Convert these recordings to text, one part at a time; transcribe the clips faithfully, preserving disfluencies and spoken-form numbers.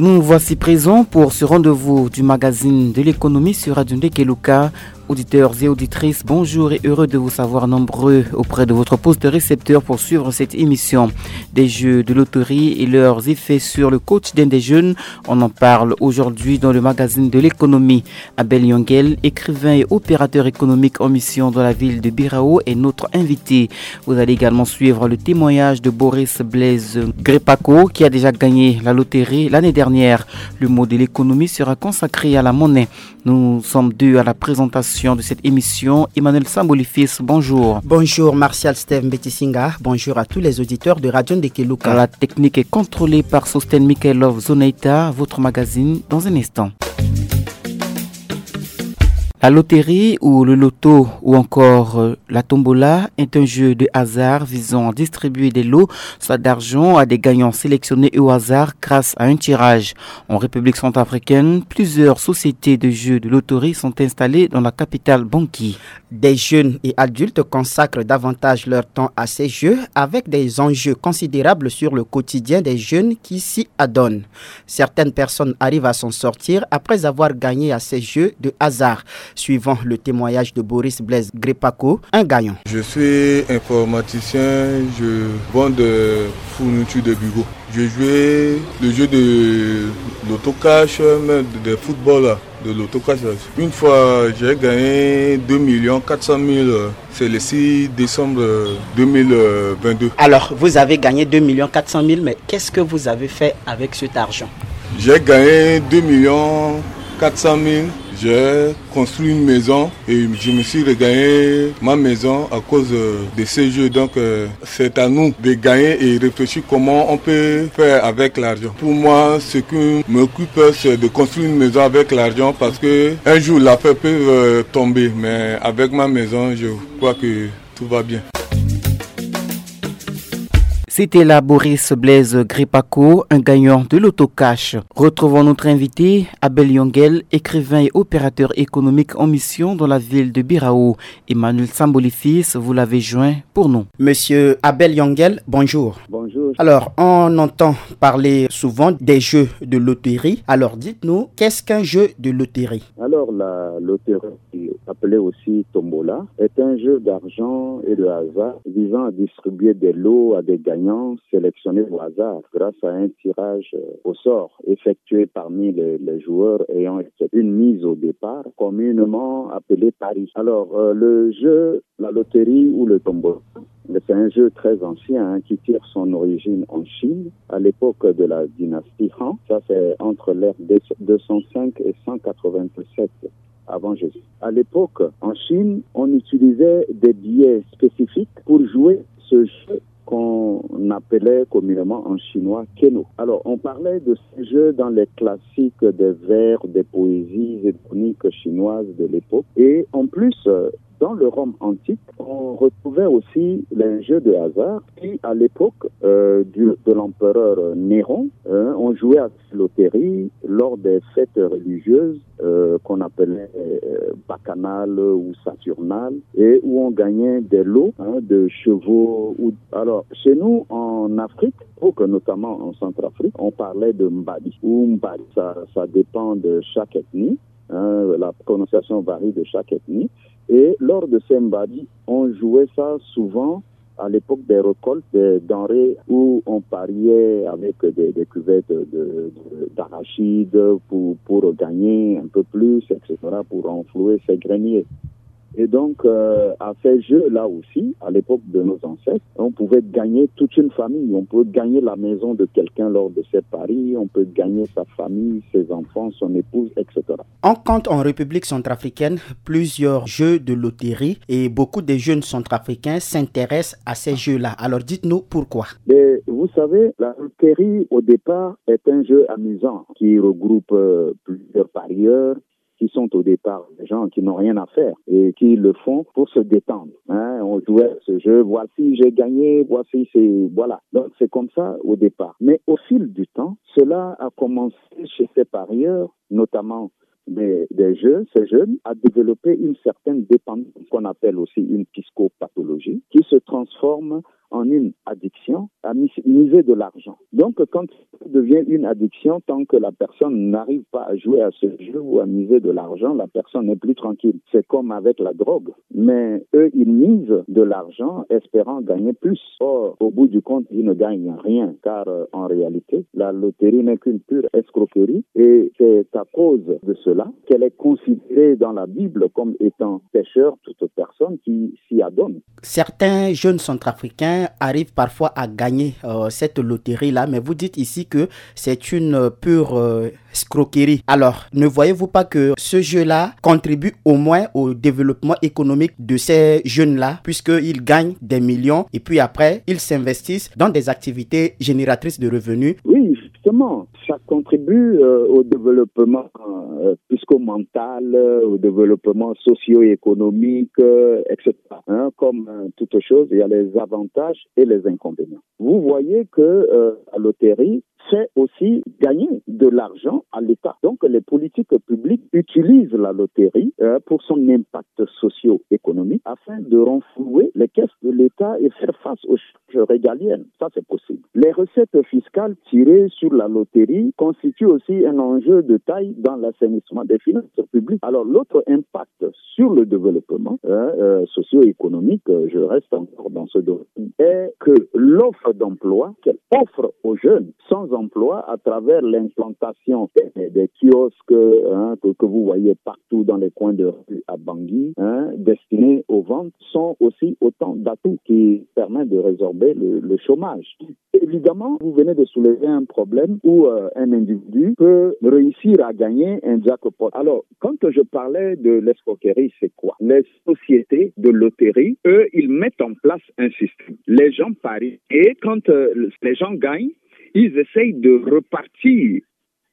Nous voici présents pour ce rendez-vous du magazine de l'économie sur Radio Ndekeluka. Auditeurs et auditrices, bonjour et heureux de vous savoir nombreux auprès de votre poste récepteur pour suivre cette émission. Des jeux de loterie et leurs effets sur le quotidien des jeunes, on en parle aujourd'hui dans le magazine de l'économie. Abel Yongel, écrivain et opérateur économique en mission dans la ville de Birao, est notre invité. Vous allez également suivre le témoignage de Boris Blaise Grepako, qui a déjà gagné la loterie l'année dernière. Le mot de l'économie sera consacré à la monnaie. Nous sommes deux à la présentation de cette émission. Emmanuel Sambolifis, bonjour. Bonjour Martial Steve Mbetisinga, bonjour à tous les auditeurs de Radio Ndekeluka. La technique est contrôlée par Sosten Mikhailov Zonaita, votre magazine dans un instant. La loterie ou le loto ou encore, euh, la tombola est un jeu de hasard visant à distribuer des lots, soit d'argent, à des gagnants sélectionnés au hasard grâce à un tirage. En République centrafricaine, plusieurs sociétés de jeux de loterie sont installées dans la capitale Bangui. Des jeunes et adultes consacrent davantage leur temps à ces jeux, avec des enjeux considérables sur le quotidien des jeunes qui s'y adonnent. Certaines personnes arrivent à s'en sortir après avoir gagné à ces jeux de hasard. Suivant le témoignage de Boris Blaise Grepako, un gagnant. Je suis informaticien, je vends des fournitures de bureau. Je jouais le jeu de l'autocash, même des footballeurs de l'autocash. Une fois, j'ai gagné deux millions quatre cent mille. C'est le six décembre deux mille vingt-deux. Alors, vous avez gagné deux millions quatre cent mille, mais qu'est-ce que vous avez fait avec cet argent ? J'ai gagné deux millions quatre cent mille. J'ai construit une maison et je me suis regagné ma maison à cause, euh, de ces jeux. Donc, euh, c'est à nous de gagner et réfléchir comment on peut faire avec l'argent. Pour moi, ce qui m'occupe, c'est de construire une maison avec l'argent parce que un jour, l'affaire peut, euh, tomber. Mais avec ma maison, je crois que tout va bien. C'était là Boris Blaise Grepako, un gagnant de l'autocash. Retrouvons notre invité, Abel Yongel, écrivain et opérateur économique en mission dans la ville de Birao. Emmanuel Sambolifis, vous l'avez joint pour nous. Monsieur Abel Yongel, bonjour. Bonjour. Alors, on entend parler souvent des jeux de loterie. Alors, dites-nous, qu'est-ce qu'un jeu de loterie ? Alors, la loterie, appelée aussi tombola, est un jeu d'argent et de hasard visant à distribuer des lots à des gagnants sélectionnés au hasard grâce à un tirage, euh, au sort effectué parmi les, les joueurs ayant effectué une mise au départ, communément appelée pari. Alors, euh, le jeu, la loterie ou le tombola, c'est un jeu très ancien, hein, qui tire son origine en Chine à l'époque de la dynastie Han. Ça, c'est entre l'ère deux cent cinq et cent quatre-vingt-sept avant Jésus. À l'époque, en Chine, on utilisait des billets spécifiques pour jouer ce jeu qu'on appelait communément en chinois keno. Alors, on parlait de ces jeux dans les classiques des vers, des poésies et chroniques chinoises de l'époque. Et en plus, euh, dans le Rome antique, on retrouvait aussi les jeux de hasard qui, à l'époque, euh, du, de l'empereur Néron, hein, on jouait à loterie lors des fêtes religieuses, euh, qu'on appelait, euh, bacchanales ou saturnales, et où on gagnait des lots, hein, de chevaux. Ou... Alors, chez nous, en Afrique, pour que notamment en Centrafrique, on parlait de mbadi ou mbadi. Ça, ça dépend de chaque ethnie. Hein, la prononciation varie de chaque ethnie. Et lors de ces mbadi, on jouait ça souvent à l'époque des récoltes des denrées où on pariait avec des, des cuvettes de, de, d'arachides pour, pour gagner un peu plus, et cetera, pour renflouer ses greniers. Et donc, euh, à ces jeux-là aussi, à l'époque de nos ancêtres, on pouvait gagner toute une famille. On peut gagner la maison de quelqu'un lors de ces paris, on peut gagner sa famille, ses enfants, son épouse, et cetera. On compte en République centrafricaine plusieurs jeux de loterie et beaucoup de jeunes centrafricains s'intéressent à ces jeux-là. Alors dites-nous pourquoi. Mais vous savez, la loterie au départ est un jeu amusant qui regroupe, euh, plusieurs parieurs qui sont au départ des gens qui n'ont rien à faire et qui le font pour se détendre. Hein, on jouait à ce jeu, voici j'ai gagné, voici c'est, voilà. Donc c'est comme ça au départ. Mais au fil du temps, cela a commencé chez ces parieurs, notamment des, des jeux, ces jeunes, à développer une certaine dépendance qu'on appelle aussi une psychopathologie qui se transforme en une addiction à mis- miser de l'argent. Donc, quand ça devient une addiction, tant que la personne n'arrive pas à jouer à ce jeu ou à miser de l'argent, la personne n'est plus tranquille. C'est comme avec la drogue. Mais eux, ils misent de l'argent espérant gagner plus. Or, au bout du compte, ils ne gagnent rien, car euh, en réalité, la loterie n'est qu'une pure escroquerie et c'est à cause de cela qu'elle est considérée dans la Bible comme étant pécheur toute personne qui s'y adonne. Certains jeunes centrafricains arrivent parfois à gagner euh, cette loterie-là, mais vous dites ici que c'est une euh, pure euh, escroquerie. Alors, ne voyez-vous pas que ce jeu-là contribue au moins au développement économique de ces jeunes-là, puisqu'ils gagnent des millions et puis après, ils s'investissent dans des activités génératrices de revenus? Oui, justement, ça contribue euh, au développement euh, psychomental, euh, au développement socio-économique, euh, et cetera. Hein, comme euh, toute chose, il y a les avantages et les inconvénients. Vous voyez que euh, la loterie fait aussi gagner de l'argent à l'État. Donc les politiques publiques utilisent la loterie euh, pour son impact socio-économique afin de renflouer les caisses de l'État et faire face aux charges régaliennes. Ça, c'est possible. Les recettes fiscales tirées sur la loterie constituent aussi un enjeu de taille dans l'assainissement des finances publiques. Alors, l'autre impact sur le développement euh, euh, socio-économique, euh, je reste encore dans ce domaine, est que l'offre d'emploi qu'elle offre aux jeunes sans emploi à travers l'implantation des, des kiosques hein, que, que vous voyez partout dans les coins de rue à Bangui, hein, destinés aux ventes, sont aussi autant d'atouts qui permettent de résorber le, le chômage. Évidemment, vous venez de soulever un problème où euh, un individu peut réussir à gagner un jackpot. Alors, quand je parlais de l'escroquerie, c'est quoi? Les sociétés de loterie, eux, ils mettent en place un système. Les gens parient et quand euh, les gens gagnent, ils essayent de repartir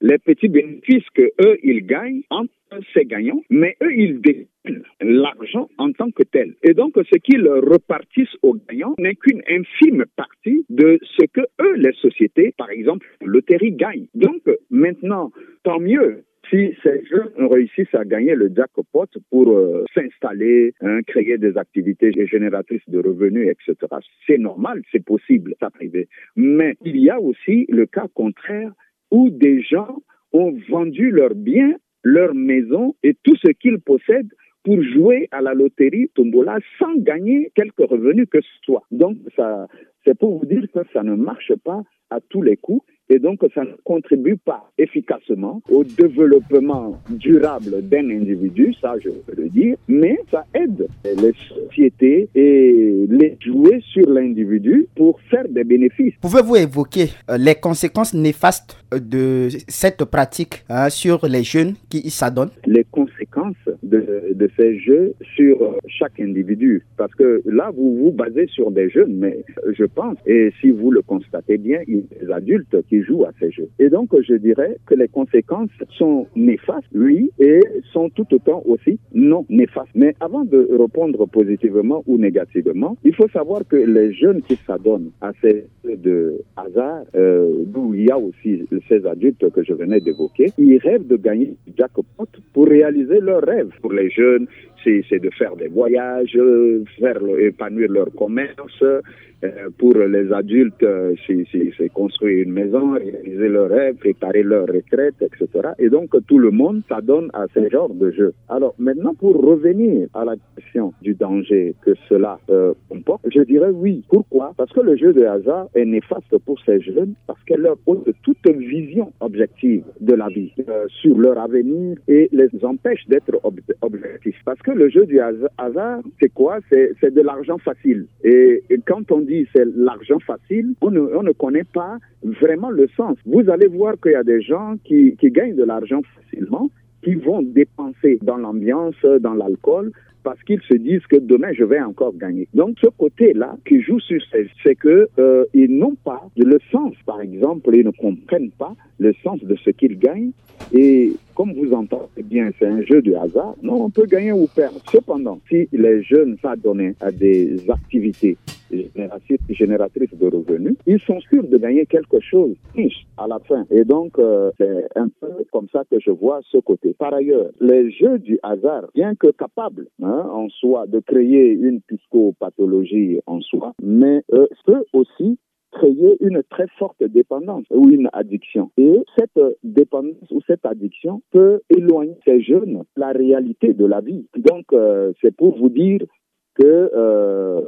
les petits bénéfices que eux, ils gagnent entre ces gagnants, mais eux, ils détiennent l'argent en tant que tel. Et donc, ce qu'ils repartissent aux gagnants n'est qu'une infime partie de ce que eux, les sociétés, par exemple, loterie, gagnent. Donc, maintenant, tant mieux si ces jeunes réussissent à gagner le jackpot pour euh, s'installer, hein, créer des activités génératrices de revenus, et cetera. C'est normal, c'est possible, ça peut arriver. Mais il y a aussi le cas contraire où des gens ont vendu leurs biens, leur maison et tout ce qu'ils possèdent pour jouer à la loterie tombola sans gagner quelque revenu que ce soit. Donc, ça, c'est pour vous dire que ça ne marche pas à tous les coups et donc ça ne contribue pas efficacement au développement durable d'un individu, ça je veux le dire, mais ça aide les sociétés et les jouer sur l'individu pour faire des bénéfices. Pouvez-vous évoquer euh, les conséquences néfastes de cette pratique hein, sur les jeunes qui y s'adonnent? Les conséquences de, de ces jeux sur chaque individu. Parce que là, vous vous basez sur des jeunes, mais je pense, et si vous le constatez bien, il y a des adultes qui jouent à ces jeux. Et donc, je dirais que les conséquences sont néfastes, oui, et sont tout autant aussi non néfastes. Mais avant de répondre positivement ou négativement, il faut savoir que les jeunes qui s'adonnent à ces de hasard, euh, d'où il y a aussi ces adultes que je venais d'évoquer, ils rêvent de gagner le jackpot pour réaliser leurs rêves. Pour les jeunes, c'est de faire des voyages, euh, faire épanouir leur commerce. Euh, pour les adultes, euh, c'est construire une maison, réaliser leurs rêves, préparer leur retraite, et cetera. Et donc, tout le monde s'adonne à ce genre de jeu. Alors, maintenant, pour revenir à la question du danger que cela euh, comporte, je dirais oui. Pourquoi? Parce que le jeu de hasard est néfaste pour ces jeunes, parce qu'elle leur ôte toute vision objective de la vie, euh, sur leur avenir et les empêche d'être ob objectifs. Parce que le jeu du hasard, c'est quoi? C'est de l'argent facile. Et, et, quand on dit c'est l'argent facile, on ne, on ne connaît pas vraiment le sens. Vous allez voir qu'il y a des gens qui, qui gagnent de l'argent facilement, qui vont dépenser dans l'ambiance, dans l'alcool, parce qu'ils se disent que demain je vais encore gagner. Donc ce côté-là qui joue sur ces, c'est que euh, ils n'ont pas le sens, par exemple, ils ne comprennent pas le sens de ce qu'ils gagnent et Comme vous entendez bien, c'est un jeu de hasard. Non, on peut gagner ou perdre. Cependant, si les jeunes s'adonnent à des activités génératrices de revenus, ils sont sûrs de gagner quelque chose, riche à la fin. Et donc, euh, c'est un peu comme ça que je vois ce côté. Par ailleurs, les jeux du hasard, bien que capables, hein, en soi de créer une psychopathologie en soi, mais euh, peut aussi créer une très forte dépendance ou une addiction. Et cette dépendance ou cette addiction peut éloigner ces jeunes de la réalité de la vie. Donc, euh, c'est pour vous dire que euh,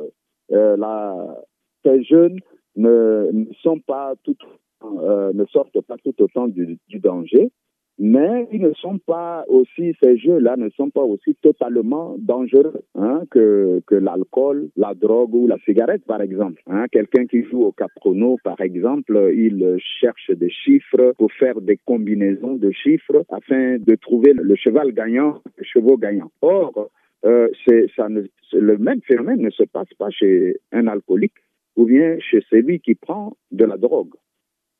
euh, la, ces jeunes ne, ne sont pas tout, euh, ne sortent pas tout autant du, du danger, mais ils ne sont pas aussi, ces jeux-là ne sont pas aussi totalement dangereux, hein, que, que l'alcool, la drogue ou la cigarette, par exemple. Hein. Quelqu'un qui joue au caprono, par exemple, il cherche des chiffres pour faire des combinaisons de chiffres afin de trouver le cheval gagnant, le chevaux gagnant. Or, euh, c'est, ça ne, le même phénomène ne se passe pas chez un alcoolique ou bien chez celui qui prend de la drogue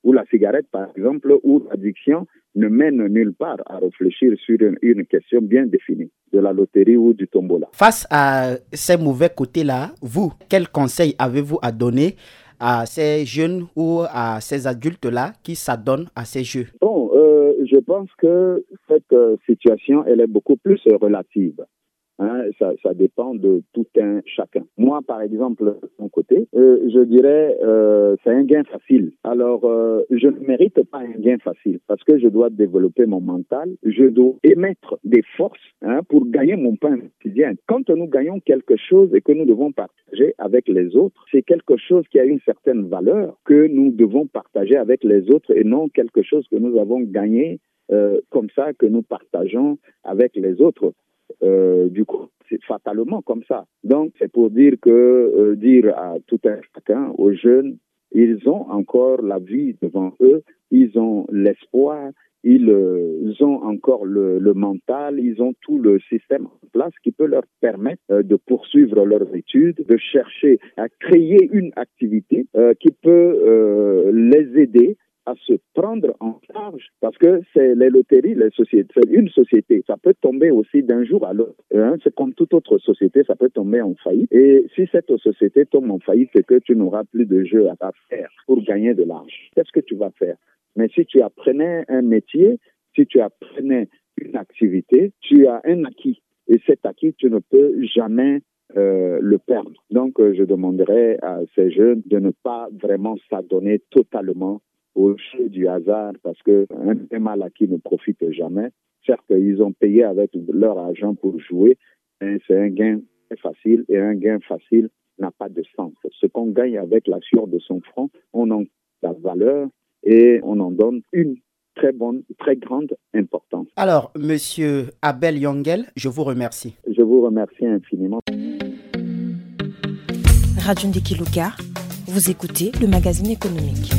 ou la cigarette, par exemple, où l'addiction ne mène nulle part à réfléchir sur une, une question bien définie, de la loterie ou du tombola. Face à ces mauvais côtés-là, vous, quel conseil avez-vous à donner à ces jeunes ou à ces adultes-là qui s'adonnent à ces jeux ? Bon, euh, je pense que cette euh, situation, elle est beaucoup plus relative. Hein, ça, ça dépend de tout un chacun. Moi, par exemple, de mon côté, euh, je dirais, euh, c'est un gain facile. Alors, euh, je ne mérite pas un gain facile parce que je dois développer mon mental, je dois émettre des forces, hein, pour gagner mon pain quotidien. Quand nous gagnons quelque chose et que nous devons partager avec les autres, c'est quelque chose qui a une certaine valeur que nous devons partager avec les autres et non quelque chose que nous avons gagné euh, comme ça, que nous partageons avec les autres. Euh, du coup, c'est fatalement comme ça. Donc, c'est pour dire que, euh, dire à tout un chacun, aux jeunes, ils ont encore la vie devant eux, ils ont l'espoir, ils euh, ont encore le, le mental, ils ont tout le système en place qui peut leur permettre euh, de poursuivre leurs études, de chercher à créer une activité euh, qui peut euh, les aider à se prendre en charge parce que c'est les loteries, les sociétés, c'est une société, ça peut tomber aussi d'un jour à l'autre. Hein, c'est comme toute autre société, ça peut tomber en faillite. Et si cette société tombe en faillite, c'est que tu n'auras plus de jeu à faire pour gagner de l'argent. Qu'est-ce que tu vas faire ? Mais si tu apprenais un métier, si tu apprenais une activité, tu as un acquis. Et cet acquis, tu ne peux jamais euh, le perdre. Donc, euh, je demanderais à ces jeunes de ne pas vraiment s'adonner totalement au jeu du hasard parce que un, un mal acquis ne profite jamais. Certes, ils ont payé avec leur argent pour jouer, mais c'est un gain très facile et un gain facile n'a pas de sens. Ce qu'on gagne avec la sueur de son front, on en la valeur et on en donne une très bonne, très grande importance. Alors, monsieur Abel Yongel, je vous remercie. Je vous remercie infiniment. Radio Ndeki Luka, vous écoutez le magazine économique.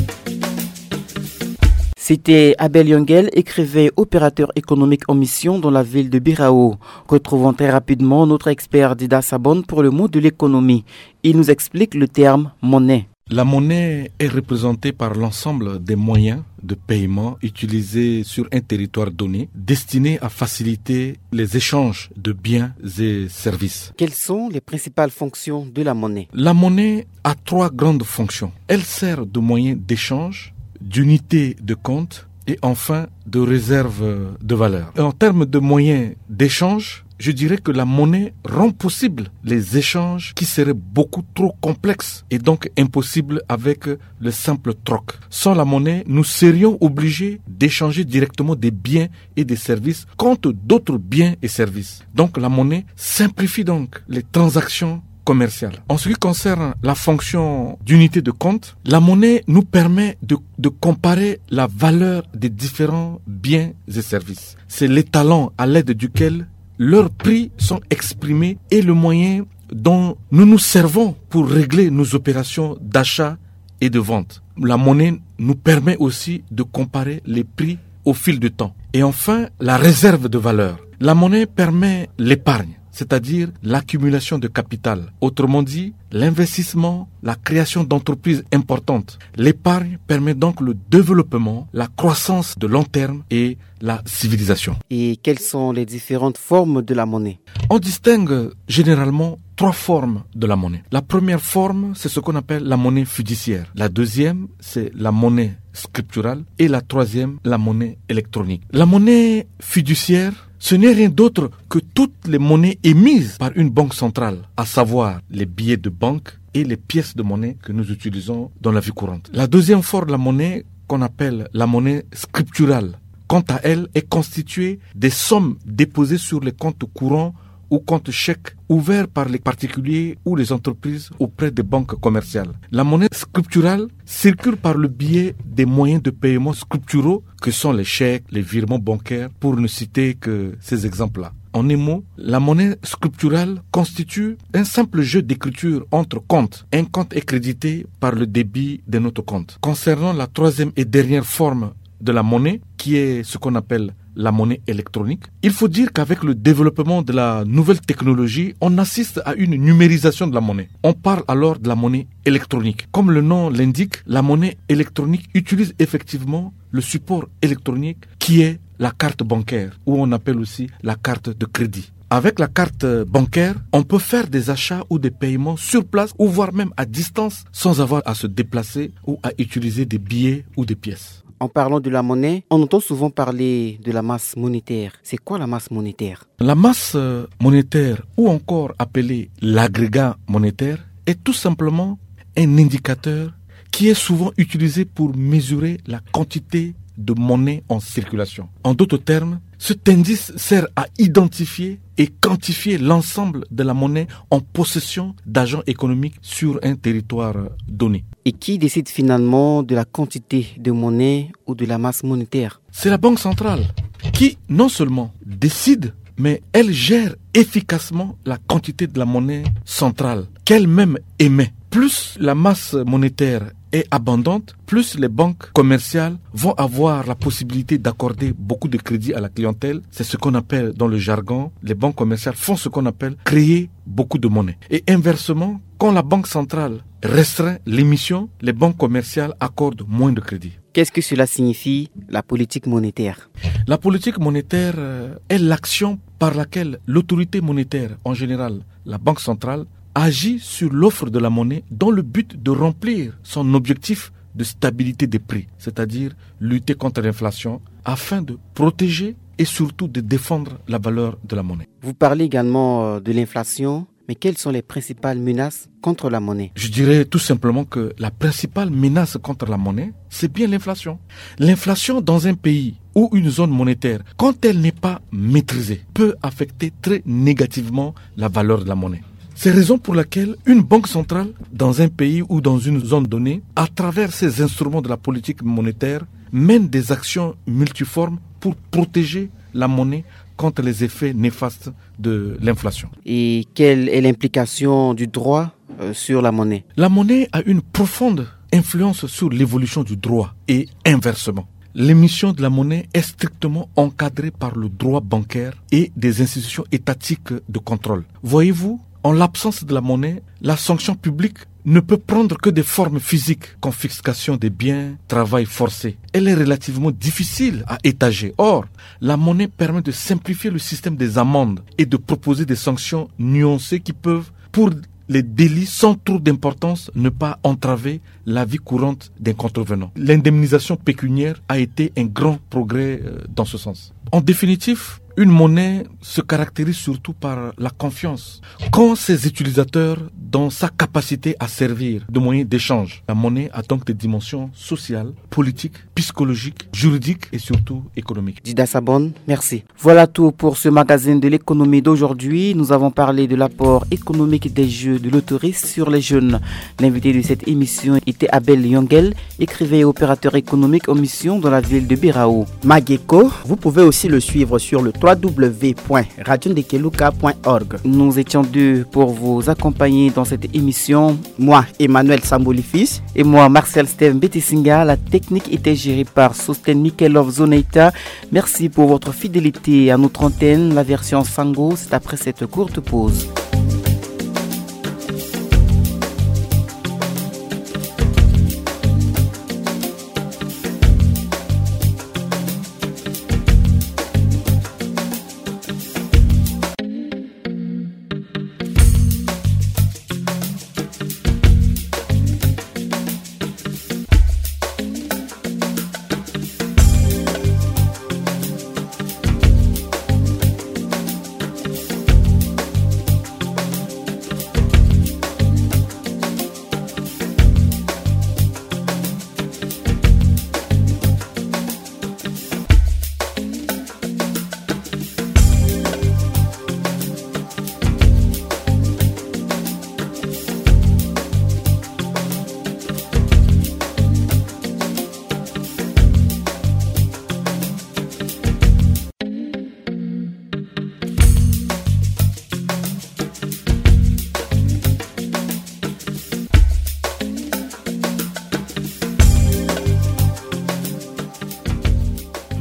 C'était Abel Yongel, écrivain, opérateur économique en mission dans la ville de Birao. Retrouvons très rapidement notre expert Dida Sabon pour le mot de l'économie. Il nous explique le terme monnaie. La monnaie est représentée par l'ensemble des moyens de paiement utilisés sur un territoire donné, destinés à faciliter les échanges de biens et services. Quelles sont les principales fonctions de la monnaie ? La monnaie a trois grandes fonctions. Elle sert de moyen d'échange, d'unité de compte et enfin de réserve de valeur. En termes de moyens d'échange, je dirais que la monnaie rend possible les échanges qui seraient beaucoup trop complexes et donc impossibles avec le simple troc. Sans la monnaie, nous serions obligés d'échanger directement des biens et des services contre d'autres biens et services. Donc la monnaie simplifie donc les transactions commerciales. En ce qui concerne la fonction d'unité de compte, la monnaie nous permet de, de comparer la valeur des différents biens et services. C'est l'étalon à l'aide duquel leurs prix sont exprimés et le moyen dont nous nous servons pour régler nos opérations d'achat et de vente. La monnaie nous permet aussi de comparer les prix au fil du temps. Et enfin, la réserve de valeur. La monnaie permet l'épargne. c'est-à-dire l'accumulation de capital. Autrement dit, l'investissement, la création d'entreprises importantes. L'épargne permet donc le développement, la croissance de long terme et la civilisation. Et quelles sont les différentes formes de la monnaie ? On distingue généralement trois formes de la monnaie. La première forme, c'est ce qu'on appelle la monnaie fiduciaire. La deuxième, c'est la monnaie scripturale. Et la troisième, la monnaie électronique. La monnaie fiduciaire, ce n'est rien d'autre que toutes les monnaies émises par une banque centrale, à savoir les billets de banque et les pièces de monnaie que nous utilisons dans la vie courante. La deuxième forme de la monnaie, qu'on appelle la monnaie scripturale, quant à elle, est constituée des sommes déposées sur les comptes courants ou comptes chèques ouverts par les particuliers ou les entreprises auprès des banques commerciales. La monnaie scripturale circule par le biais des moyens de paiement scripturaux que sont les chèques, les virements bancaires, pour ne citer que ces exemples-là. En un mot, la monnaie scripturale constitue un simple jeu d'écriture entre comptes. Un compte est crédité par le débit d'un autre compte. Concernant la troisième et dernière forme de la monnaie, qui est ce qu'on appelle la monnaie électronique, il faut dire qu'avec le développement de la nouvelle technologie, on assiste à une numérisation de la monnaie. On parle alors de la monnaie électronique. Comme le nom l'indique, la monnaie électronique utilise effectivement le support électronique qui est la carte bancaire, ou on appelle aussi la carte de crédit. Avec la carte bancaire, on peut faire des achats ou des paiements sur place ou voire même à distance sans avoir à se déplacer ou à utiliser des billets ou des pièces. En parlant de la monnaie, on entend souvent parler de la masse monétaire. C'est quoi la masse monétaire ? La masse euh, monétaire, ou encore appelée l'agrégat monétaire, est tout simplement un indicateur qui est souvent utilisé pour mesurer la quantité de monnaie en circulation. En d'autres termes, cet indice sert à identifier et quantifier l'ensemble de la monnaie en possession d'agents économiques sur un territoire donné. Et qui décide finalement de la quantité de monnaie ou de la masse monétaire ? C'est la Banque centrale qui non seulement décide, mais elle gère efficacement la quantité de la monnaie centrale qu'elle-même émet. Plus la masse monétaire est abondante, plus les banques commerciales vont avoir la possibilité d'accorder beaucoup de crédits à la clientèle. C'est ce qu'on appelle dans le jargon, les banques commerciales font ce qu'on appelle créer beaucoup de monnaie. Et inversement, quand la Banque centrale restreint l'émission, les banques commerciales accordent moins de crédits. Qu'est-ce que cela signifie, la politique monétaire ? La politique monétaire euh, est l'action par laquelle l'autorité monétaire, en général la Banque centrale, agit sur l'offre de la monnaie dans le but de remplir son objectif de stabilité des prix, c'est-à-dire lutter contre l'inflation, afin de protéger et surtout de défendre la valeur de la monnaie. Vous parlez également euh, de l'inflation, mais quelles sont les principales menaces contre la monnaie ? Je dirais tout simplement que la principale menace contre la monnaie, c'est bien l'inflation. L'inflation dans un pays ou une zone monétaire, quand elle n'est pas maîtrisée, peut affecter très négativement la valeur de la monnaie. C'est raison pour laquelle une banque centrale dans un pays ou dans une zone donnée, à travers ses instruments de la politique monétaire, mène des actions multiformes pour protéger la monnaie contre les effets néfastes de l'inflation. Et quelle est l'implication du droit euh, sur la monnaie ? La monnaie a une profonde influence sur l'évolution du droit et inversement. L'émission de la monnaie est strictement encadrée par le droit bancaire et des institutions étatiques de contrôle. Voyez-vous, en l'absence de la monnaie, la sanction publique ne peut prendre que des formes physiques, confiscation des biens, travail forcé. Elle est relativement difficile à étager. Or, la monnaie permet de simplifier le système des amendes et de proposer des sanctions nuancées qui peuvent, pour les délits sans trop d'importance, ne pas entraver la vie courante d'un contrevenant. L'indemnisation pécuniaire a été un grand progrès euh, dans ce sens. En définitive, une monnaie se caractérise surtout par la confiance qu'ont ses utilisateurs dans sa capacité à servir de moyen d'échange. La monnaie a donc des dimensions sociales, politiques, psychologiques, juridiques et surtout économiques. Dida Sabon, merci. Voilà tout pour ce magazine de l'économie d'aujourd'hui. Nous avons parlé de l'apport économique des jeux de loterie sur les jeunes. L'invité de cette émission était Abel Yongel, écrivain et opérateur économique en mission dans la ville de Birao. Mageko, vous pouvez aussi le suivre sur le trois w point radio ndekeluka point org. Nous étions deux pour vous accompagner dans cette émission. Moi, Emmanuel Sambolifis. Et moi, Martial Steve Mbetisinga. La technique était gérée par Sosten Mikelov Zoneita. Merci pour votre fidélité à notre antenne. La version Sango, c'est après cette courte pause.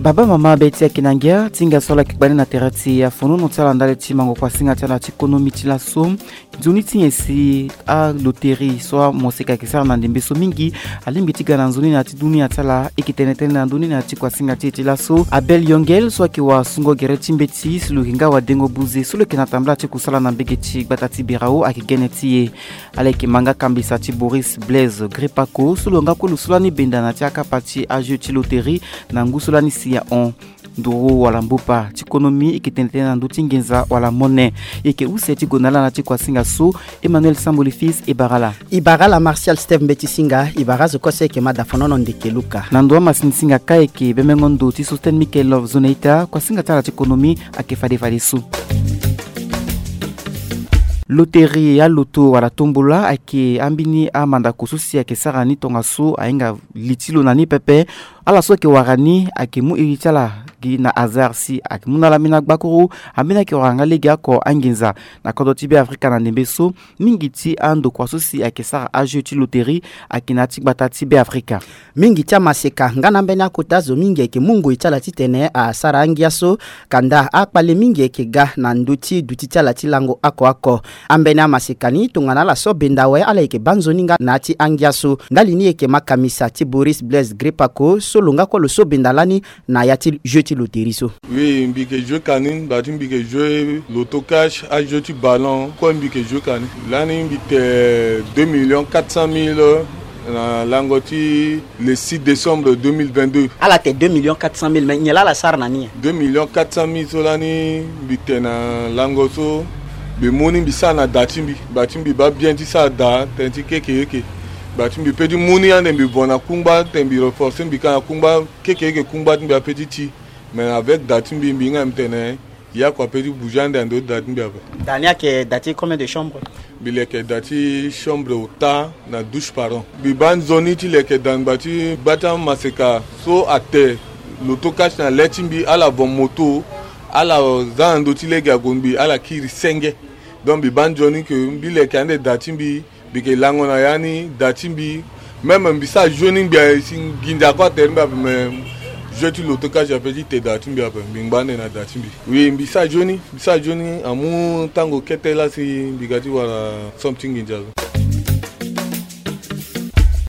Baba mama be ti ayeke na ngia ti hinga so ala yeke kpa ni na tere ti afonono ti ala ndali ti mango kuasinga ti ala ti konomi ti laso. Nzoni ti nyen si aloterie so amoseka ayeke sara na ndembe so mingi alingbi ti ga na nzoni na ya ti dunia ti ala? E yeke tene tënë na ndoni na ya ti kuasinga ti e ti laso. Abel Yongel so ayeke wasungo gere ti mbeti si lo yeke nga wadengo buze so lo yeke na tambala ti kusala na mbege ti gbata ti Birao ayeke gene ti e. Ala yeke ma nga kambisa ti Boris Blaise Gripako so lo nga kue lo so lani benda na ya ti akapa ti ajeu ti loterie na ngu so lani si ahon. Nduru wala mbupa ti konomi e yeke tene tënë na ndö ti nginza wala mone. E yeke use ti gonda laa na ya ti kuasinga so. Emmanuel Samboli Fils e bara ala. E bara ala Martial Steve Mbeti Singa, e bara azo kue so e yeke ma dafonono ndeke luka. Na ndo amasini singa kâ e yeke bemengo ndo ti Sosten Michael Love Zoneita, kuasinga ti ala ti konomi ayeke fade fadeso. Loterie, aloto wala tombola ayeke ambeni amandako so si ayeke sara ni tongaso ahinga li ti lo na ni pepe. Ala so ayeke wara ni ayeke mu iri ti ala gi na hasard si ayeke mu na ala ambeni agbakuru. Ambeni ayeke wara nga lege oko anginza na kodro ti Beafrika na ndembe so. Mingi ti andokua so si ayeke sara ajeu ti loterie ayeke na ya ti gbata ti Beafrika. Mingi ti amaseka nga na ambeni akota zo mingi ayeke mu ngoi ti ala titene asara angia so. Kanda akpale mingi ayeke ga na ndö ti duti ti ala ti lango oko oko. Ambeni amaseka ni tongana ala so benda awe ala yeke baa nzoni nga na ya ti angia so. Ndali ni e yeke ma kamisa ti Boris Blaise Gripako so lo nga kue lo so benda lani na ya ti jeu ti loterie so. Oui, mbi yeke joue kani, mbi baa ti mbi yeke joue loto cash, ajeu ti ballon kue mbi yeke joue kani. Lani mbi te deux millions quatre cent mille na lango ti le six décembre deux mille vingt-deux. Ala te deux millions quatre cent mille, mais nyen laa ala sara na ni nyen? Deux millions quatre cent mille so lani mbi te na lango so, mbi mu ni mbi sara na da ti mbi. Mbi baa ti mbi baa bien ti sara da tënë ti keke eke. Mbi baa ti mbi pe ti mu ni ande mbi vo na kungba, titene mbi renforcer mbi ka na kungba, keke eke kungba ti mbi ape ti ti. Mais avec da ti mbi, mbi hinga mbi tene, ya kua pe ti bouger ande na ndö ti da ti mbi ape. Da ni ayeke da ti combien de chambre? Mbi leke da ti chambre ota na douche par an. Mbi baa nzoni ti leke da, mbi baa ti baa ti amaseka so ate loto cash na le ti mbi, ala vo moto, ala za na ndö ti lege ague mbi, ala kiri senge. Donc mbi baa nzoni ke mbi leke ande da ti mbi, mbi yeke lango na ya ni, da ti mbi. Même mbi sara jeu ni ngbia si nginza kue atere mbi ape, mais jeu ti loto cash ape ti te da ti mbi ape, mbi ngba ande na da ti mbi. Oui, mbi sara jeu ni, mbi sara jeu ni amu tango kete laa si mbi ga ti wara somme ti nginza so.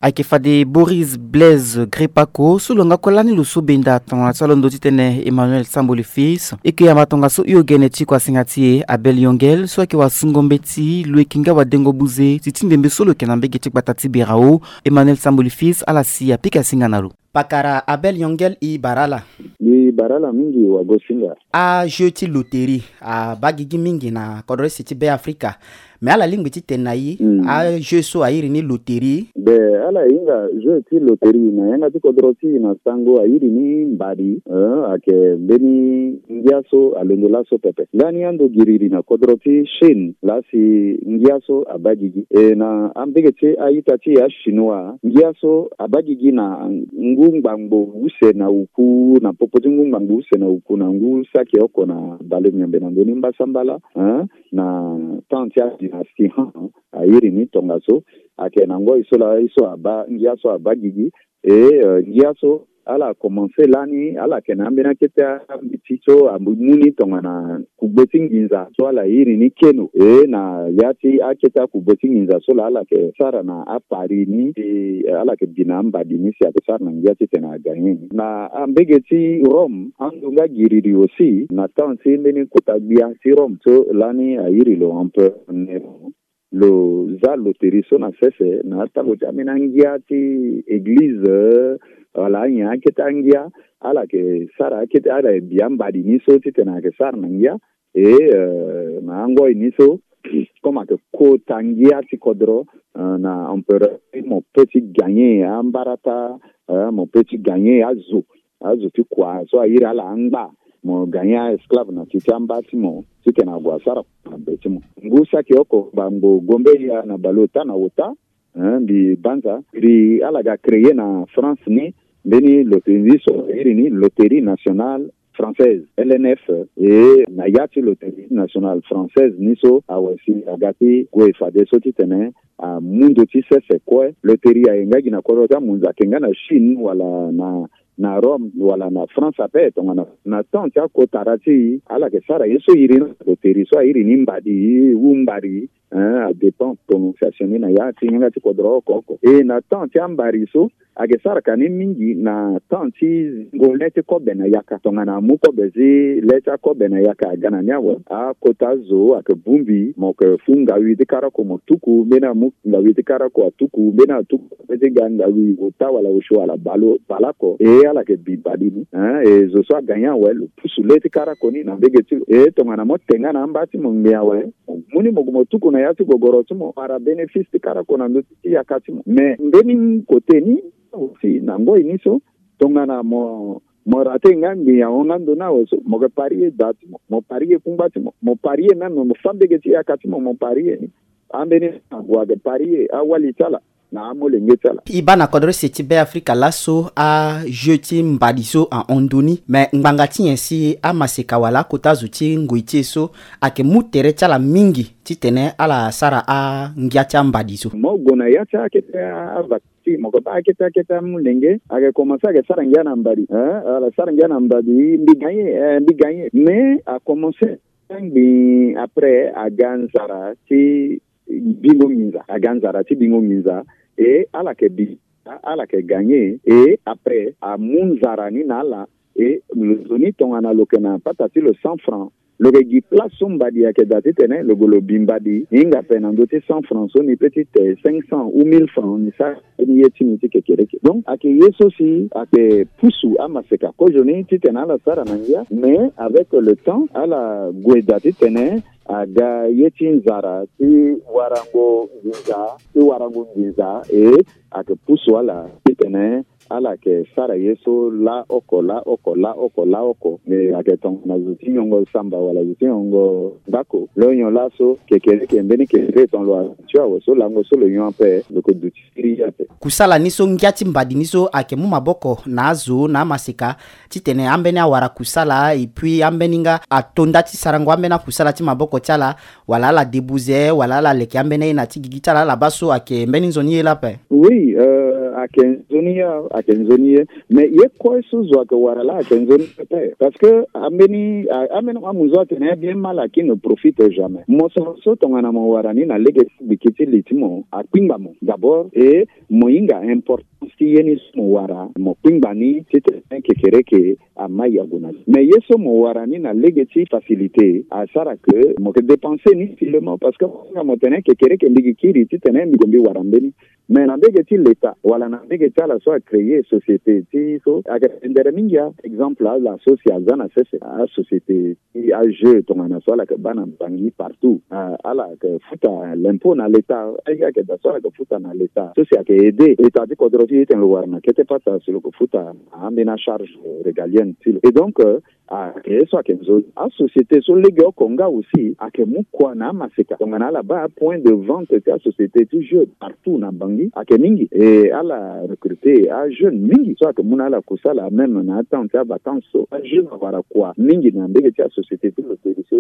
Ayeke fade Boris Blaise Gripako so lo nga kue lani lo so benda tongana ti alondo titene Emmanuel Samboli Fils. E yeke yamba tongaso hio gene ti kuasinga ti e Abel Yongel so ayeke wasungo mbeti, lo yeke nga wadengo buze ti ti ndembe so lo yeke na mbege ti gbata ti Birao. Emmanuel Samboli Fils ala si apika singa na lo. Pakara Abel Yongel, e bara ala. Mbi bara ala mingi wagosinga. Ajeu ti loterie abaa gigi mingi na kodro ese ti Beafrika. Mais ala lingbi titene na e, hmm, ajeu so airi ni loterie. Be ala hinga jeu ti loterie na yanga ti kodro ti e na sango airi ni mbadi, eh, ayeke mbeni ngia so alondo laso pepe. Lani ando giriri na kodro ti Chine laa si ngia so abaa gigi. E na ambege ti a-ita ti e achinois, ngia so abaa gigi na ngu ngu ngbangbo use na uku, na popo ti ngu ngbangbo use na uku na ngu saki oko na balenyambe na ndö ni mbasambala, hein, na temps ti adynastie Han, a iri ni tongaso, ayeke na ngoi so laa ye so abaa, ngia so abaa gigi. E, eh, ngia so ala komanse lani, ala yeke na ambeni akete ambeti so amu ni tongana kugbe ti nginza so ala iri ni keno. E, na ya ti akete akugbe ti nginza so laa ala yeke sara na apari ni, e, ala yeke bi na ambadi ni si ayeke sara na ngia titene agagné ni. Na ambege ti Rome, ando nga giriri aussi, na temps ti mbeni kota gbia ti Rome so lani a iri lo Empereur Néron, lo za loterie so na sese na atango ti ambeni angia ti église, eh, wala anyen akete angia, ala yeke sara akete, ala yeke bi ambadi ni so titene ayeke sara na ngia. E, eh, na angoi ni so, comme ayeke kota ngia ti kodro, eh, na empereur, mo peut ti gagné ambarata, eh, mo peut ti gagné azo, azo ti kua so a iri ala angba, mo gagné a-esclave na ti ti amba ti mo, titene ague asara na be ti mo. Ngu saki oko ngbangbo gombe ya na baleota na ota, hein, mbi banza, iri ala ga créer na France ni mbeni loterie so a iri ni Loterie Nationale Française, L N F, e na ya ti Loterie Nationale Française ni so awe si aga ti gue fadeso titene amu ndo ti sese kue. Loterie aye nga gi na kodro ti amunzu, ayeke nga na Chine wala na, na Rome wala na France ape, tongana na temps ti akotara ti e, ala yeke sara ye so iri na loterie so a iri ni mbadi, wu mbari, hein, adépend prononciation ni na ya ti yanga ti kodro oko oko. E na temps ti ambari so, ayeke sara ka ni mingi na temps ti zingo le ti kobe na yaka. Tongana amu kobe ti le ti akobe na yaka aga na ni awe, akota zo ayeke bongbi, mo yeke fu ngawi ti kara oko mo tuku, mbeni amu ngawi ti kara oko atuku, mbeni atuku, mbeni ti ga ngawi ota wala osio wala baleoko. E ala yeke bi mbadi ni, hein, e zo so agagné awe lo pusu le ti kara oko ni na mbege ti lo. E tongana mo te nga na amba ti mo ngbia awe, mo mu ni mo gue mo tuku na ya ti gogoro ti mo, wara bénéfice ti kara oko na ndö ti yaka ti mo. Mais mbeni côté ni aussi, na ngoi ni so, tongana mo, mo raté nga ngbia ahon nga ndö ni awe so, mo yeke parier da ti mo, mo parier kungba ti mo, mo parier même mo fa mbege ti yaka ti mo, mo parier ni. Ambeni ague ayeke parier awali ti ala na amolenge ti ala. E baa na kodro use ti Be Afrika laso a-jeu ti mbadi so ahon ndö ni, me ngbanga ti nyen si amaseka wala akota zo ti ngoi ti e so ayeke mu tere ti ala mingi titene ala sara angia ti ambadi so? Mo gue na ya ti akete avakasi, mo yeke baa akete akete amolenge ayeke komanse ayeke sara ngia na mbadi, eh, ala sara ngia na mbadi, mbi gagné, eh, mbi gagné. Mais akomanse ngbii après aga nzara ti bingo nginza, aga nzara ti bingo nginza, e ala yeke bi, ala yeke gagné, e après amu nzara ni na ala, e lo zo ni tongana lo yeke na pata ti lo cent francs, lo yeke gi place so mbadi ayeke daa titene lo gue lo bi mbadi, e hinga ape na ndö ti cent francs so ni peut ti te cinq cents ou mille francs ni sara mbeni ye ti ni ti kekereke. Donc ayeke ye so si ayeke pusu amaseka kozoni titene ala sara na ngia, mais avec le temps ala gue daa titene aga ye ti nzara ti warango nginza, ti warango nginza, e ayeke pusu ala titene ala yeke sara ye so laoko, laoko, laoko, laoko. E ayeke tongana zo ti nyongo samba wala zo ti nyongo ndako. Lo nyon laso kekereke, mbeni kekereke ton lo azo awe so lango so lo nyon ape lo yeke duti siriri ape. Kusala ni so ngia ti mbadi ni so ayeke mu maboko na azo na amaseka titene ambeni awara kusala, et puis ambeni nga ato nda ti sarango ambeni akusala ti maboko ti ala, wala ala debuze, wala ala leke ambeni aye na ti gigi ti ala, ala baa so ayeke mbeni nzoni ye lape? Oui, euh, ayeke nzoni ye, ayeke nzoni ye. Mais ye kue so zo ayeke wara laa ayeke nzoni ye ape. Parce que ambeni, a-, ambeni amu zo atene bien mal acquis ne profite jamais. Mosoro so tongana mo wara ni na lege ti gbiki ti li ti mo, akpingba mo d'abord, e mo hinga importance ti ye ni so mo wara, mo kpingba ni titene kekereke ama yagu na li. Mais ye so mo wara ni na lege ti facilité asara ke mo yeke dépenser ni facilement, parce que mo hinga mo tene kekereke mbi gi kiri titene mbi gue mbi wara mbeni. Mais na mbege ti leta wala na mbege ti ala so acréer société ti so ayeke pendere mingi. A exemple, ala so si aza na sese, asociété ti a-jeu tongana so ala yeke baa na Bangui partout, ah, ala yeke futa l'impôt na leta. Aye ayeke daa so ala yeke futa na leta so si ayeke aider leta ti kodro ti e titene lo wara na kete pata si lo yeke futa na ambeni acharge régalienne ti lo. Et donc, euh, ayeke ye so ayeke nzoni. Asociété so legeoko nga aussi ayeke mu kua na amaseka tongana ala baa apoint de vente ti asociété ti jeu partout na Bangui ayeke mingi. E ala arecruter ajeune mingi so ayeke mu na ala kusala même na atemps ti avacances so ajeune awara kua mingi na mbege ti asociété ti loterie so.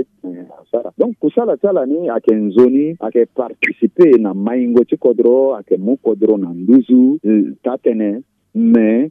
Asara donc kusala ti ala ni ayeke nzoni ayeke participer na maingo ti kodro ayeke mu kodro na nduzu. Taa tënë mais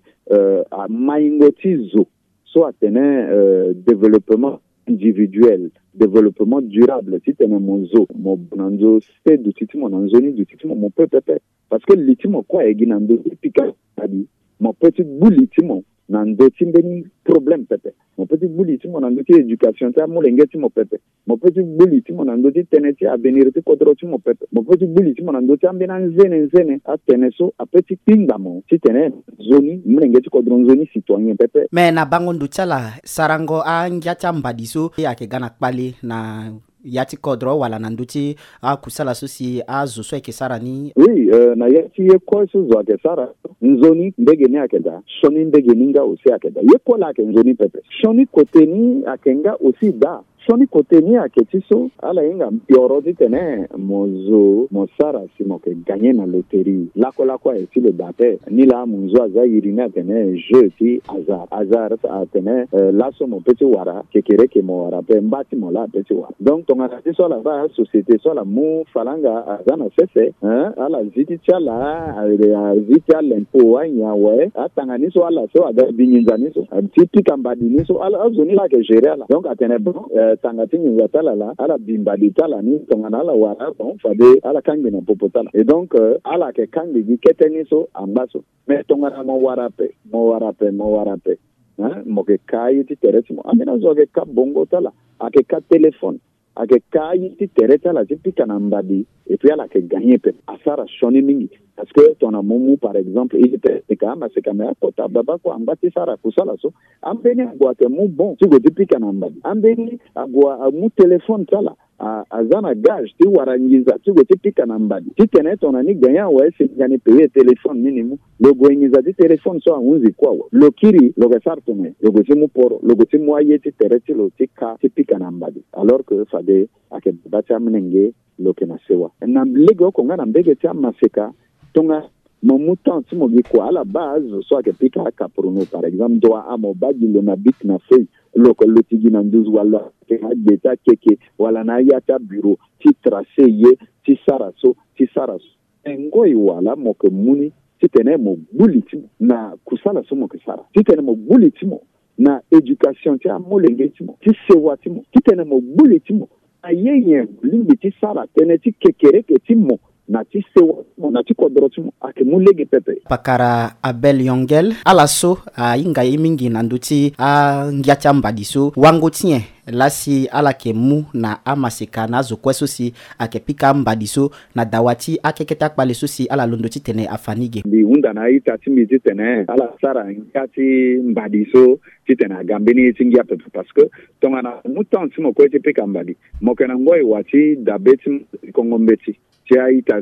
maingo ti zo so atene développement individuel, développement durable titene mo zo mo bo na nzo se duti ti mo na nzoni duti ti mo mo pe pepe. Parce que li ti mo kue aye gi na ndö ti pika adi mo pe ti gbu li ti mo na ndö ti mbeni problème pepe. Mo pe ti gbu li ti mo na ndö ti éducation ti amolenge ti mo pepe. Mo pe ti gbu li ti mo na ndö ti tënë ti avenir ti kodro ti mo pepe. Mo pe ti gbu li ti mo na ndö ti ambeni anzene nzene atënë so ape ti kpingba mo titene nzoni molenge ti kodro nzoni citoyen pepe. Mais na bango ndo ti ala sarango angia ti ambadi so ayeke ga na kpale na ya ti kodro wala na ndö ti akusala so si azo so ayeke sara ni? Oui, na ya ti ye kue so zo ayeke sara nzoni ndege ni ayeke daa. Sioni ndege ni nga aussi ayeke daa ye kue laa ayeke nzoni pepe. Sioni kote ni ayeke nga aussi daa. Sioni kote ni ayeke ti so ala hinga mpioro titene mo zo mo sara si mo yeke gagner na loterie. Lakue lakue aye ti lo daa te. Nilaa amunzu aza iri ni atene jeu ti hasard hasard atene laso mo pe ti wara kekereke mo wara pe mba ti mo laa ape ti wara. Donc tongana ti so ala baa asociété so ala mu falanga aza na sese. Ala zi ti ti ala azi ti alempo anyen awe atanga ni so ala so aga bi nginza ni so ti pika mbadi ni so azo ni laa ayeke gérer ala donc atene bon tanga ti nginza ti ala laa ala bi mbadi ti ala ni tongana ala wara bon fade ala kangbi na popo ti ala et donc ala yeke kangbi gi kete ni so angba so. Mais tongana mo wara ape mo wara ape mo wara ape mo yeke ka aye ti tere ti mo ambeni azo ayeke ka bongo ti ala ayeke ka téléphone ayeke ka aye ti tere ti ala ti pika na mbadi. Et puis ala yeke gagner pepe asara sioni mingi. Parce que tongana mo mu par exemple i ti tene ka amaseka me akota babakua angba ti sara kusala so ambeni ague ayeke mu bon ti gue ti pika na mbadi ambeni ague amu téléphone ti ala aza na gage ti wara nginza ti gue ti pika na mbadi titene tongana ni gagner awe si nga ni payer téléphone ni ni mu. Lo gue nginza ti téléphone so ahunzi kue awe lo kiri lo yeke sara tongana nyen? Lo gue ti mu poro lo gue ti mu aye ti tere ti lo ti ka ti pika na mbadi alors que fade ayeke baba ti amolenge lo yeke na sewa na legeoko nga na mbege ti amaseka. Tongana mo mu temps ti mo gi kua ala baa azo so ayeke pika akapuruno par exemple ndo wa amo baa gi lo na bic na feuille lo yeke luti gi na nduzu wala lo yeke na agbe ti akeke wala na aya ti abureau ti tracer ye ti sara so ti sara so. Me ngoi wala mo yeke mu ni titene mo gbu li ti mo na kusala so mo yeke sara titene mo gbu li ti mo na éducation ti amolenge ti mo ti sewa ti mo titene mo gbu li ti mo na ye nyen mo lingbi ti sara tënë ti kekereke ti mo na ti sewa ti mo na ti kodro ti mo ayeke mu lege pepe. Pakara Abel Yongel ala so ahinga ye mingi na ndö ti angia ti ambadi so wango ti nyen laa si ala yeke mu na amaseka na azo kue so si ayeke pika ambadi so na dawa ti akeke ti akpale so si ala londo titene afa ni ge. Mbi hunda na a-ita ti mbi titene ala sara ngia ti mbadi so titene aga mbeni ye ti ngia pepe parce que tongana mo mu temps ti mo kue ti pika mbadi mo yeke na ngoi wa ti dabe ti kongo mbeti ti a-ita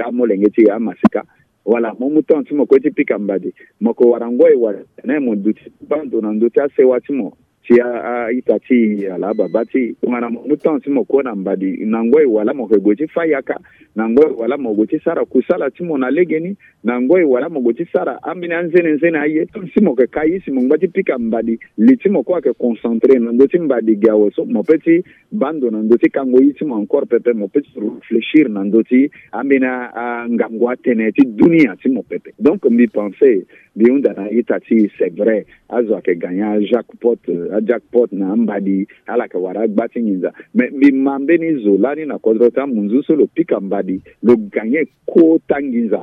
amolenge ti e amaseka wala mo mu temps ti mo kue ti pika mbadi mo yeke wara ngoi wa titene mo duti ti baa ndo na ndö ti asewa ti mo ti a-ita ti e ala ababa ti e tongana mo mu temps ti mo kue na mbadi na ngoi wala mo yeke gue ti fâ yaka na ngoi wala mo gue ti sara kusala ti mo na legeni na ngoi wala mo gue ti sara ambeni anzene nzene aye. Temps ti mo yeke ka ye si mo ngba ti pika mbadi li ti mo kue ayeke concentré na ndö ti mbadi ge awe so mo pe ti baa ndo na ndö ti kango ye ti mo encore pepe mo pe ti réfléchir na ndö ti ambeni angangu atene ti dunia ti mo pepe. Donc mbi pensé mbi hunda na a-ita ti e c'est vrai azo ayeke gagner ajackpot ajackpot na ambadi ala yeke wara agba ti nginza. Mais mbi ma mbeni zo lani na kodro ti amunzu so lo pika mbadi lo gagner kota nginza.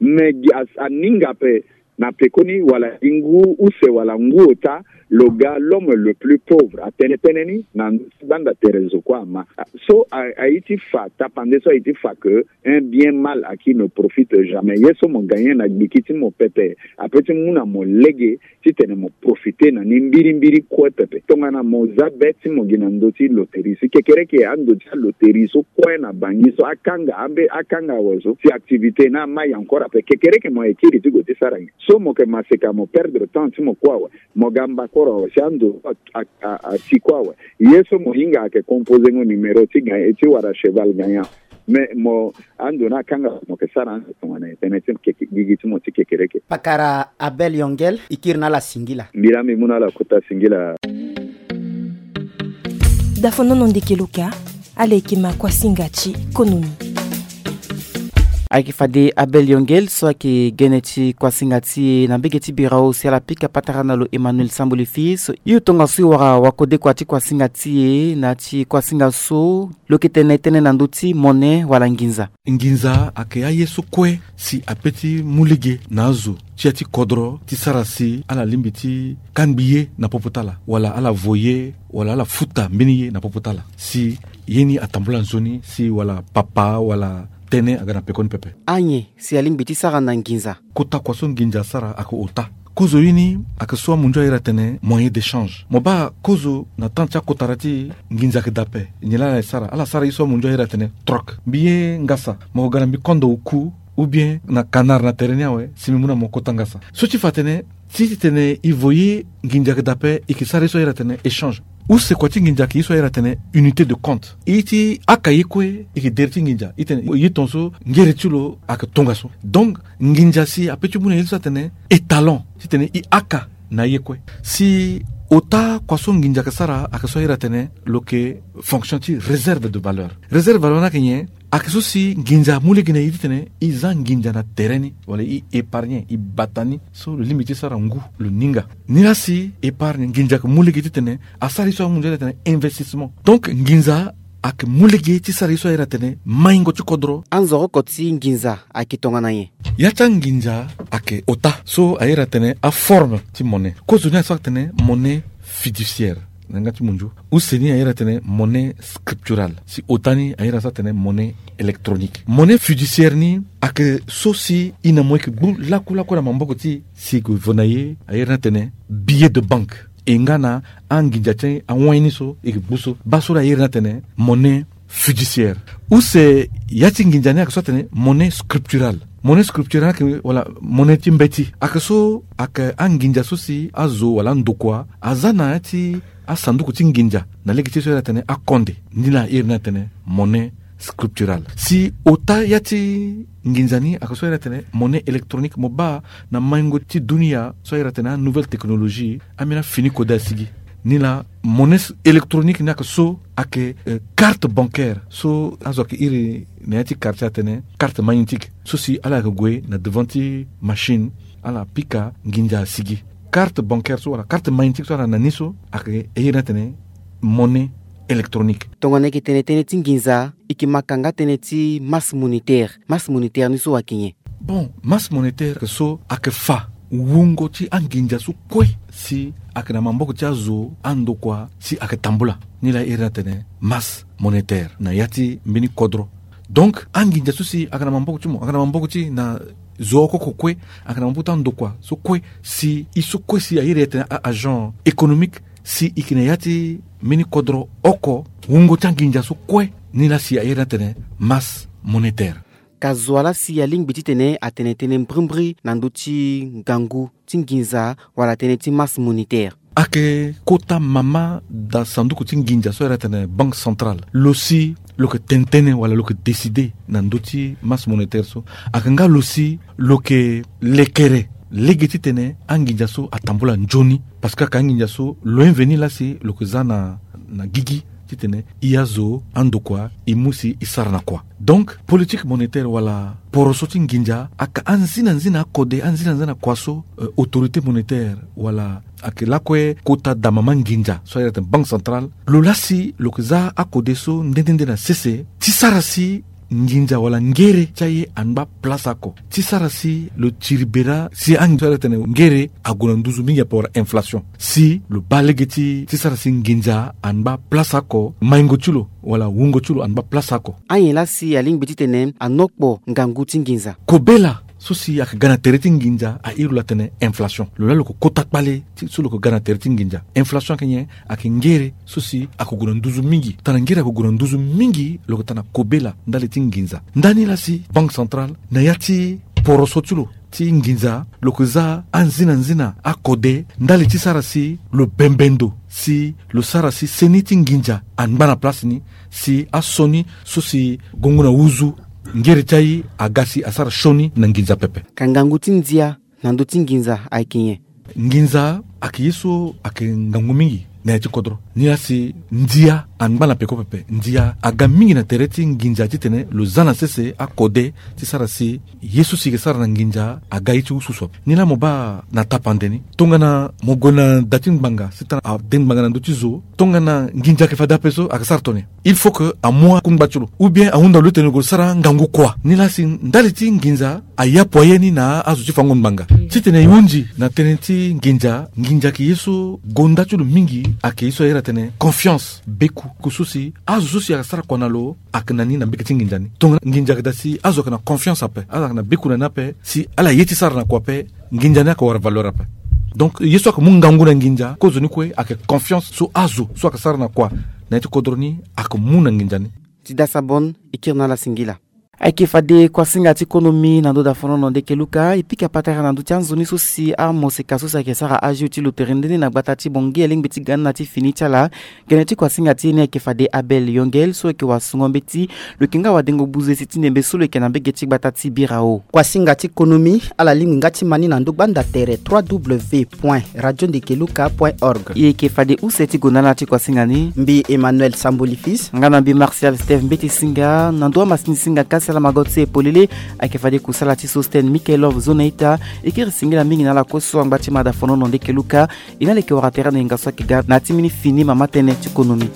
Mais gi aninga ape na pekoni wala gi ngu use wala ngu ota lo ga l'homme le plus pauvre atene tënë ni na ndö ti gbanda tere zo kue ama. So aye ti fa tapande so aye ti fa que un bien mal à qui ne profite jamais ye so mo gagner na gbiki ti mo pepe ape ti mu na mo lege titene mo profiter na ni mbirimbiri kue pepe. Tongana mo za be ti mo gi na ndö ti loterie si kekereke ando ti aloterie so kue na bangi so akanga ambe akanga awe so si activité na amai encore ape kekereke mo ye kiri ti gue ti sara nyen? So mo yeke maseka mo perdre temps ti mo kue awe mo ga mbakoro awe si ando so ati kue awe. Ye so mo hinga ayeke composengo numéro ti ga ti wara cheval gagnant. Mais mo ando na kanga mo ke sara ando tongana tene ti gigi ti mo ti kekereke. Pakara Abel Yongel, ikiri na ala singila. Mbira mi muna ala kuta singila. Dafonono ndeke loka. Ala eke ma kuasinga ti konomi. Ayeke fade Abel Yongel so ayeke gene ti kuasinga ti e na mbege ti birao si ala pika patara na lo Emmanuel Samboli Fils. Hio tongaso e wara wakodekua ti kuasinga ti e na ya ti kuasinga so lo yeke tene tënë na ndö ti mone wala nginza. Nginza ayeke aye so kue si ape ti mu lege na azo ti ya ti kodro ti sara si ala lingbi ti kangbi ye na popo ti ala wala ala vo ye wala ala futa mbeni ye na popo ti ala si ye ni atambula nzoni si wala papa wala tënë aga na pekoni pepe. Anyen si alingbi ti sara na nginza? Kota kua so nginza asara ayeke ota. Kozo ye ni ayeke so amunzu ahiri atene moyen d'échange. Mo baa kozo na temps ti akotara ti nginza ayeke daa ape. Nyen laa ala sara? Ala sara ye so amunzu ahiri atene troc. Mbi ye ngasa, mo ga na mbi kondo oku, ou bien na canard na tere ni awe si mbi mu na mo kota ngasa. So ti fa atene ti titene e vo ye nginza ayeke daa ape, e yeke sara ye so ahiri atene échange. Use kua ti nginza ayeke ye so ahiri atene unité de compte. E ti haka ye kue e yeke dere ti nginza, e tene ye tongaso ngere ti lo ayeke tongaso. Donc nginza si ape ti mu na ye so atene étalon titene e haka na ye kue. Si ota kua so nginza ayeke sara ayeke so ahiri atene lo yeke fonction ti réserve de valeur. Réserve de valeur ni ayeke nyen? Ayeke so si nginza amu lege na e titene e za nginza na tere ni wala e épargne, e bata ni so lo lingbi ti sara ngu lo ninga. Nilaa si épargne nginza ayeke mu lege titene asara ye so amu nzoni atene investissement. Donc nginza ayeke mu lege ti sara ye so ahiri atene maingo ti kodro. Anzoroko ti nginza ayeke tongana nyen? Ya ti anginza ayeke ota so ahiri atene aforme ti monnaie. Kozo ni ayeke so atene monnaie fiduciaire na yanga ti munzu. Use ni ahiri atene monnaie scripturale. Si ota ni ahiri so atene monnaie électronique. Monnaie fiduciaire ni ayeke so si e na mo e yeke gbu lakue lakue na maboko ti e si e yeke vo na ye ahiri ni atene billet de banque. E nga na anginza ti awai ni so e yeke gbu so. Baa so laa ahiri ni atene monnaie fiduciaire. Use ya ti nginza ni ayeke so atene monnaie scripturale. Monnaie scripturale ni ayeke wala monnaie ti mbeti. Ayeke so ayeke anginza so si azo wala andokua aza na ya ti asanduku ti nginza na lege ti ye so ahiri atene akonde. Ni laa ahiri ni atene monnaie scripturale. Si ota ya ti nginza ni ayeke so ahiri atene monnaie électronique. Mo baa na maingo ti dunia so ahiri atene anouvelle technologie, ambeni afini kode asigi. Ni laa monnaie électronique ni ayeke so ayeke, eh, carte bancaire so azo ayeke iri na ya ti quartier atene carte magnétique. So si ala yeke gue na devant ti machine, ala pika nginza asigi. Carte bancaire so wala carte magnétique so ala na ni so ayeke e iri ni atene monnaie électronique. Tongana e yeke tene tënë ti nginza, e yeke ma ka nga tënë ti masse monétaire. Masse monétaire ni so ayeke nyen? Bon, masse monétaire ayeke so ayeke fa wungo ti anginza so kue si ayeke na maboko ti azo andokua si ayeke tambula. Ni laa e iri ni atene masse monétaire na ya ti mbeni kodro. Donc anginza so si ayeke na maboko ti mo, ayeke na maboko ti na zo oko oko kue, ayeke na maboko ti andokua so kue, si e so kue si a iri atene a-agent économique, si e yeke na ya ti mbeni kodro oko, wungo ti anginza so kue, ni laa si a iri atene masse monétaire. Ka zo wa laa si alingbi titene atene tënë mbrimbri na ndö ti ngangu ti nginza wala tënë ti masse monétaire? Ayeke kota mama daa sanduku ti nginza so a iri atene banque centrale. Lo si lo yeke tene tënë wala lo yeke décider na ndö ti masse monétaire so. Ayeke nga lo si lo yeke lekere lege titene anginza so atambula nzoni. Parce que ayeke anginza so lo inveni laa si lo yeke za na, na gigi titene e azo andokua e mu si e sara na kua. Donc politique monétaire wala poroso ti nginza ayeke anzina nzina akode, anzina nzina kua so, euh, autorité monétaire wala ayeke lakue kota daa mama nginza so a iri atene banque centrale. Lo laa si lo yeke za akode so nde nde nde na sese ti sara si nginza wala ngere ti aye angba place oko, ti sara si lo tiri bera si anginza so a iri atene ngere ague na nduzu mingi ape wala inflation. Si lo baa lege ti, ti sara si nginza angba place oko, maingo ti lo wala wungo ti lo angba place oko. Anyen laa si alingbi titene anokpo ngangu ti nginza? Kobela so si ayeke ga na tere ti nginza a iri lo atene inflation. Lo laa lo yeke kota kpale ti, so lo yeke ga na tere ti nginza. Inflation ayeke nyen? Ayeke ngere so si ayeke gue na nduzu mingi. Tana ngere ayeke gue na nduzu mingi, lo yeke tana kobela ndali ti nginza. Ndani laa si banque centrale na ya ti poroso ti lo ti nginza, lo ke za anzina nzina akode ndali ti sara si lo bembe ndo, si lo sara si seni ti nginza angba na place ni, si asioni so si gongo na uzu ngere ti aye aga si asara sioni na nginza pepe. Ka ngangu ti ndia na ndö ti nginza ayeke nyen? Nginza ayeke ye so ayeke ngangu mingi na ya ti kodro. Nilaa si ndia angba na peko pepe. Ndia aga mingi na tere ti nginza titene lo za na sese akode ti sara si ye so si yeke sara na nginza aga ye ti ususu ape. Nilaa mo baa na tapande ni, tongana mo gue na da ti ngbanga, c'est-à-dire ade ngbanga na ndö ti zo, tongana nginza ayeke fade ape so ayeke sara tongana nyen? Il faut que amu akungba ti lo, ou bien ahunda lo ti tene lo gue sara ngangu kua. Nilaa si ndali ti nginza ayapo aye ni na azo ti fango ngbanga. Titene e hunzi na tënë ti nginza, nginza ayeke ye so gonda ti lo mingi ayeke ye so ayere atene confiance, beku. Ku so si azo so si ayeke sara kua na lo ayeke na ni na mbege ti nginza ni. Tongana nginza ayeke daa si azo ayeke na confiance ape, azo ayeke na beku na ni ape, si ala ye ti sara na kua ape, nginza ni ayeke wara valeur ape. Donc ye so ayeke mu ngangu na nginza kozoni kue ayeke confiance so azo so ayeke sara na kua na ya ti kodro ni ayeke mu na nginza ni. Ti dasa bon, e kiri na ala singila. Ayeke fade kuasinga ti konomi na ndö dafonono ndeke luka e pika patara na ndö ti anzoni so si amoseka so si ayeke sara azo ti lo tere nde ni na gbata ti Bangui alingbi ti ga ni na ti fini ti ala. Gene ti kuasinga ti ye ni ayeke fade Abel Yongel so ayeke wasungo mbeti, lo yeke nga wadengo buze si ti ndembe so lo yeke na mbege ti gbata ti Birao. Kuasinga ti konomi ala lingbi nga ti ma ni na ndö gbanda tere trois w point radio ndeke luka point org. E yeke fade use ti gonda na ala ti kuasinga ni. Mbi Emmanuel Samboli Fils. Nga na mbi Martial Steve Mbeti Singa. Na ndö amasini singa kasi ala mago ti e polele ayeke fade kusala ti Sosten Michaelov Zonaita. E kiri singila mingi na ala kue so angba ti ma dafonono ndeke luka. E na ala yeke wara tere na yenga so ayeke ga na ya ti mbeni fini mama tënë ti konomi.